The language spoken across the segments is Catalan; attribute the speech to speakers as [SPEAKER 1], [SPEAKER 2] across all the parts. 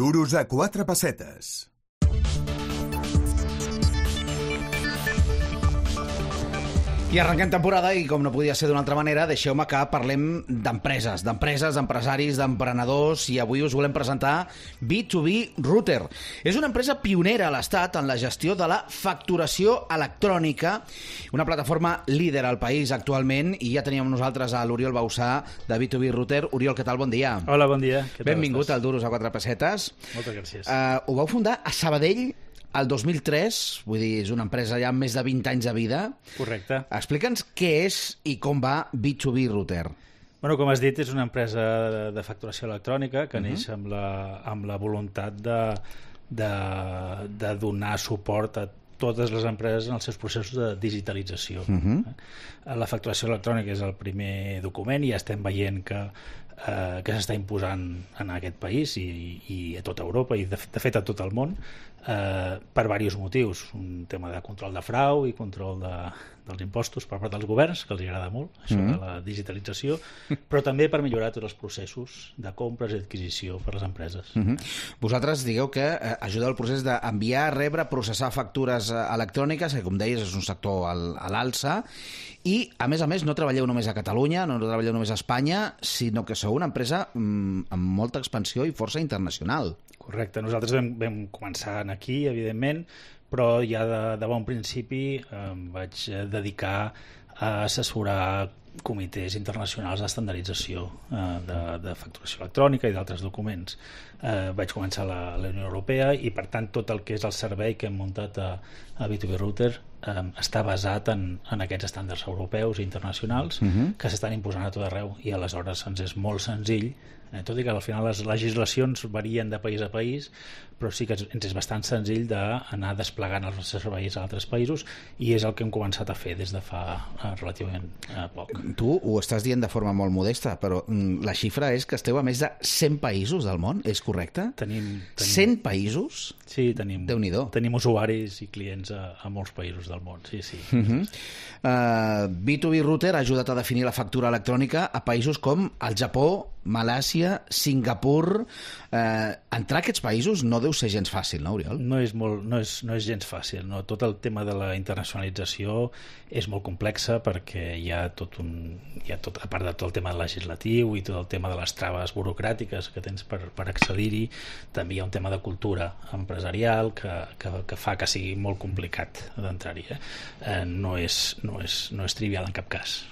[SPEAKER 1] Duros a 4 pessetes.
[SPEAKER 2] I arrenquem temporada i, com no podia ser d'una altra manera, deixeu-me que parlem d'empreses, d'empresaris, d'emprenedors, i avui us volem presentar B2B Router. És una empresa pionera a l'Estat en la gestió de la facturació electrònica, una plataforma líder al país actualment, i ja teníem nosaltres a l'Oriol Bausà de B2B Router. Oriol, què tal? Bon dia.
[SPEAKER 3] Hola, bon dia.
[SPEAKER 2] Benvingut al Duros a 4 pessetes.
[SPEAKER 3] Moltes gràcies.
[SPEAKER 2] Ho vau fundar a Sabadell el 2003, vull dir, és una empresa ja amb més de 20 anys de vida.
[SPEAKER 3] Correcte.
[SPEAKER 2] Explica'ns què és i com va B2B Router.
[SPEAKER 3] Bueno, com has dit, és una empresa de facturació electrònica que neix amb la voluntat de donar suport a totes les empreses en els seus processos de digitalització. La facturació electrònica és el primer document i ja estem veient que s'està imposant en aquest país i a tota Europa i de fet a tot el món per diversos motius. Un tema de control de frau i control dels impostos per part dels governs, que els agrada molt, això de la digitalització, però també per millorar tots els processos de compres i adquisició per les empreses.
[SPEAKER 2] Vosaltres digueu que ajudeu al procés d'enviar, rebre, processar factures electròniques, que com deies és un sector a l'alça, i a més, no treballeu només a Catalunya, no treballeu només a Espanya, sinó que sou una empresa amb molta expansió i força internacional.
[SPEAKER 3] Correcte, nosaltres vam començar aquí, evidentment, però ja de bon principi em vaig dedicar a assessorar comitès internacionals d'estandardització de facturació electrònica i d'altres documents. Vaig començar a la Unió Europea i, per tant, tot el que és el servei que hem muntat a B2B Router està basat en aquests estàndards europeus i internacionals que s'estan imposant a tot arreu, i aleshores ens és molt senzill, tot i que al final les legislacions varien de país a país, però sí que ens és bastant senzill d'anar desplegant els nostres serveis a altres països, i és el que hem començat a fer des de fa relativament poc.
[SPEAKER 2] Tu ho estàs dient de forma molt modesta, però la xifra és que esteu a més de 100 països del món, és correcte?
[SPEAKER 3] Tenim
[SPEAKER 2] 100 països?
[SPEAKER 3] Sí, tenim
[SPEAKER 2] usuaris
[SPEAKER 3] i clients a molts països del món, sí.
[SPEAKER 2] B2B Router ha ajudat a definir la factura electrònica a països com el Japó, Malàisia, Singapur. Entrar a aquests països no deu ser gens fàcil, no, Oriol?
[SPEAKER 3] No és gens fàcil. No? Tot el tema de la internacionalització és molt complexa, perquè hi ha tot, a part de tot el tema legislatiu i tot el tema de les traves burocràtiques que tens per accedir-hi, també hi ha un tema de cultura empresarial que fa que sigui molt complicat d'entrar-hi. No és trivial en cap cas.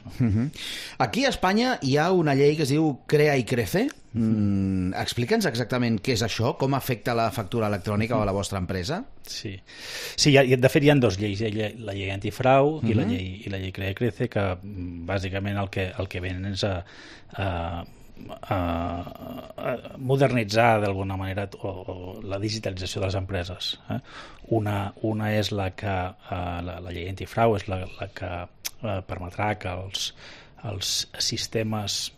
[SPEAKER 2] Aquí a Espanya hi ha una llei que es diu Crea i Crece. Explica'ns exactament què és això, com afecta la factura electrònica a la vostra empresa.
[SPEAKER 3] Sí, de fet hi ha dues lleis, la llei antifrau i la llei Crea i Crece, que bàsicament el que venen és a modernitzar d'alguna manera la digitalització de les empreses. Una és la llei antifrau és la que permetrà que els sistemes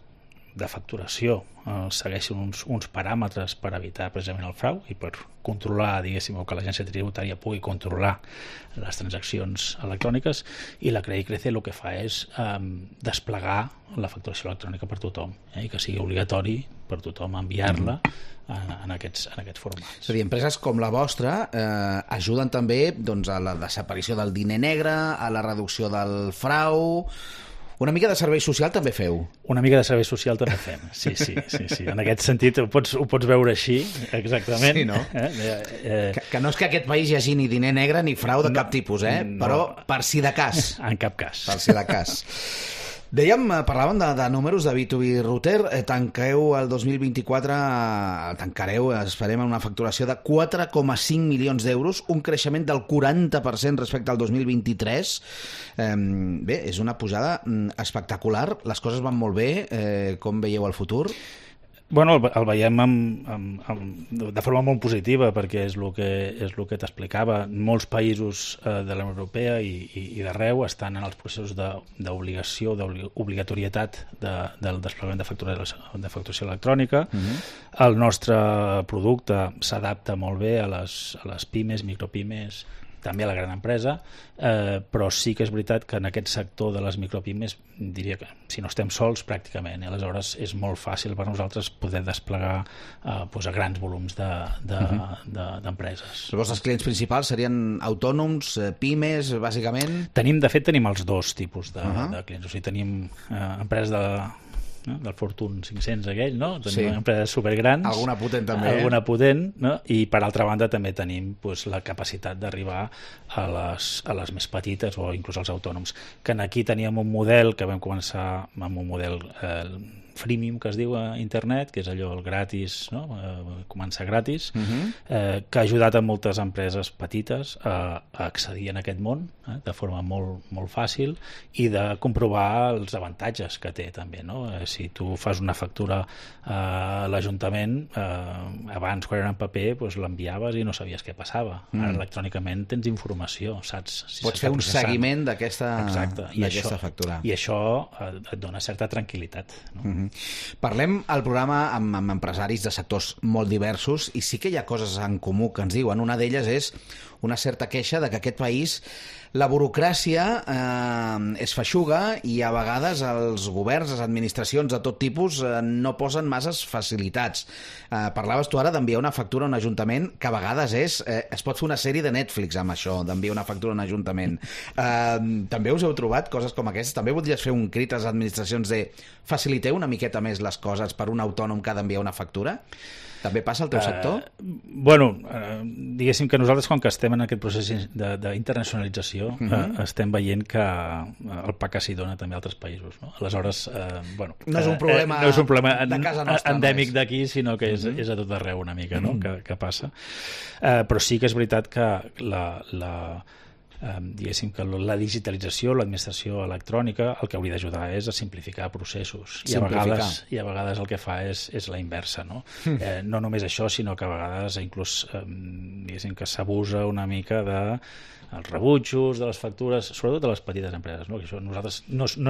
[SPEAKER 3] de facturació segueixin uns paràmetres per evitar precisament el frau i per controlar, diguéssim, o que l'agència tributària pugui controlar les transaccions electròniques, i la Crea i Crece el que fa és desplegar la facturació electrònica per tothom, i que sigui obligatori per tothom enviar-la en aquests formats.
[SPEAKER 2] És a dir, empreses com la vostra ajuden també a la desaparició del diner negre, a la reducció del frau. Una mica de servei social també feu?
[SPEAKER 3] Una mica de servei social també fem, sí. En aquest sentit ho pots veure així, exactament.
[SPEAKER 2] Sí, no? Que no és que a aquest país hi hagi ni diner negre ni frau de cap tipus, però per si de cas.
[SPEAKER 3] En cap cas.
[SPEAKER 2] Per si de cas. Dèiem, parlàvem de números de B2B Router. Tanqueu el 2024, esperem una facturació de 4,5 milions d'euros, un creixement del 40% respecte al 2023. Bé, és una pujada espectacular. Les coses van molt bé. Com veieu el futur?
[SPEAKER 3] Bueno, el veiem de forma molt positiva, perquè és el que t'explicava. Molts països de la Unió Europea i d'arreu estan en els processos d'obligació, d'obligatorietat del desplegament de facturació electrònica. El nostre producte s'adapta molt bé a les pimes, micropimes, també a la gran empresa, però sí que és veritat que en aquest sector de les micropimes diria que si no estem sols pràcticament, aleshores és molt fàcil per nosaltres poder desplegar a grans volums d'empreses.
[SPEAKER 2] Els vostres clients principals serien autònoms, pimes, bàsicament?
[SPEAKER 3] De fet tenim els dos tipus de clients, o sigui, tenim empreses del Fortune 500 aquell, no? Tenim empreses supergrans.
[SPEAKER 2] Alguna potent també.
[SPEAKER 3] Alguna potent, no? I per altra banda també tenim la capacitat d'arribar a les més petites o inclús als autònoms. Que aquí teníem un model que vam començar amb un model freemium, que es diu a internet, que és allò el gratis, no? Començar gratis, que ha ajudat a moltes empreses petites a accedir en aquest món de forma molt, molt fàcil i de comprovar els avantatges que té també, no? Si tu fas una factura a l'Ajuntament, abans quan era en paper doncs l'enviaves i no sabies què passava. Ara electrònicament tens informació, saps? Si
[SPEAKER 2] pots fer un seguiment d'aquesta factura.
[SPEAKER 3] I això et dona certa tranquil·litat, no?
[SPEAKER 2] Parlem al programa amb empresaris de sectors molt diversos i sí que hi ha coses en comú que ens diuen. Una d'elles és una certa queixa de que aquest país la burocràcia és feixuga i a vegades els governs, les administracions de tot tipus no posen masses facilitats. Parlaves tu ara d'enviar una factura a un ajuntament que a vegades es pot fer una sèrie de Netflix amb això, d'enviar una factura a un ajuntament. També us heu trobat coses com aquestes? També voldries fer un crit a les administracions de faciliteu una miqueta més les coses per un autònom que ha d'enviar una factura? També passa al teu sector?
[SPEAKER 3] Diguéssim que nosaltres, quan que estem en aquest procés d'internacionalització, estem veient que el pa que s'hi dona també a altres països, no? Aleshores,
[SPEAKER 2] no és un problema de casa nostra
[SPEAKER 3] endèmic d'aquí, sinó que és a tot arreu una mica, no? Que passa. Però sí que és veritat que diguéssim que la digitalització, l'administració electrònica, el que hauria d'ajudar és a simplificar processos. I a vegades el que fa és la inversa, no? No només això, sinó que a vegades inclús diguéssim que s'abusa una mica de els rebutjos de les factures, sobretot de les petites empreses, no? Que això no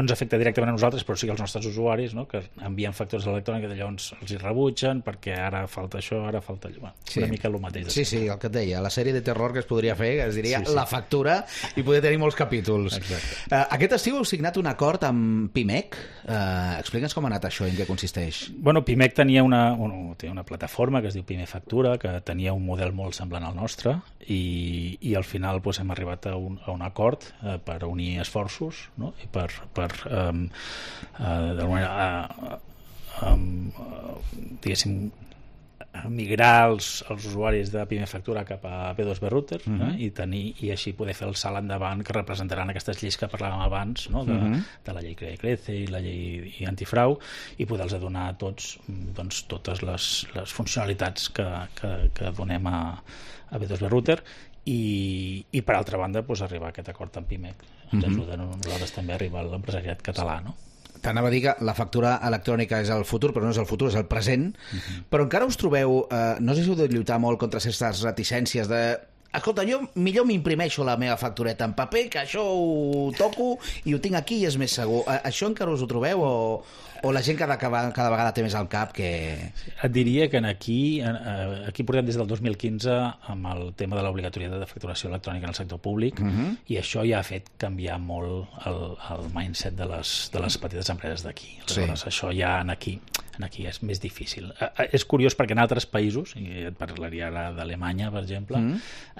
[SPEAKER 3] ens afecta directament a nosaltres, però sí que als nostres usuaris, no? Que envien factures electròniques i llavors els hi rebutgen perquè ara falta això, ara falta allò. Una mica el mateix.
[SPEAKER 2] Sí, el que et deia, la sèrie de terror que es podria fer, que es diria La factura, i podria tenir molts capítols. Aquest estiu heu signat un acord amb Pimec. Explica'ns com ha anat això i en què consisteix.
[SPEAKER 3] Pimec tenia una plataforma que es diu Pime Factura, que tenia un model molt semblant al nostre, i al final hem arribat a un acord per unir esforços, no? I per d'alguna manera diguéssim migrar els usuaris de Pime Factura cap a P2B Router i així poder fer el salt endavant que representaran aquestes lleis que parlàvem abans, no? De la llei Crea i Crece i la llei antifrau, i poder-los donar a tots totes les funcionalitats que donem a P2B Router. I per altra banda arribar a aquest acord amb Pimec ens ajuda a nosaltres també a arribar a l'empresariat català, no?
[SPEAKER 2] T'anava a dir que la factura electrònica és el futur, però no és el futur, és el present. Però encara us trobeu, no sé si heu de lluitar molt contra aquestes reticències de escolta, jo millor m'imprimeixo la meva factureta en paper, que això ho toco i ho tinc aquí i és més segur. Això encara us ho trobeu o la gent cada vegada té més al cap que...
[SPEAKER 3] Et diria que aquí portem des del 2015 amb el tema de l'obligatorietat de facturació electrònica en el sector públic i això ja ha fet canviar molt el mindset de les petites empreses d'aquí. Aleshores, això ja aquí és més difícil. És curiós perquè en altres països, i et parlaria ara d'Alemanya, per exemple,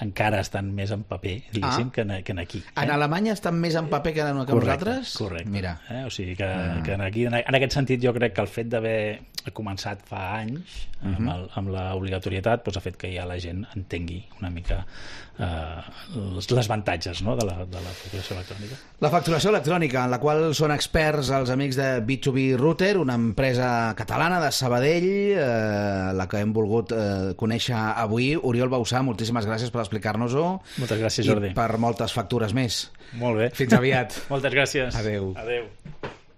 [SPEAKER 3] encara estan més en paper, diguéssim, que aquí.
[SPEAKER 2] En Alemanya estan més en paper que nosaltres?
[SPEAKER 3] Correcte.
[SPEAKER 2] Mira.
[SPEAKER 3] O sigui que aquí, en aquest sentit, jo crec que el fet d'haver començat fa anys amb l'obligatorietat ha fet que ja la gent entengui una mica les avantatges, no, de la facturació electrònica.
[SPEAKER 2] La facturació electrònica, en la qual són experts els amics de B2B Router, una empresa catalana de Sabadell, la que hem volgut conèixer avui. Oriol Bausà, moltíssimes gràcies per explicar-nos-ho.
[SPEAKER 3] Moltes gràcies, Jordi.
[SPEAKER 2] I per moltes factures més.
[SPEAKER 3] Molt bé.
[SPEAKER 2] Fins aviat.
[SPEAKER 3] Moltes gràcies.
[SPEAKER 2] Adéu.
[SPEAKER 3] Adéu.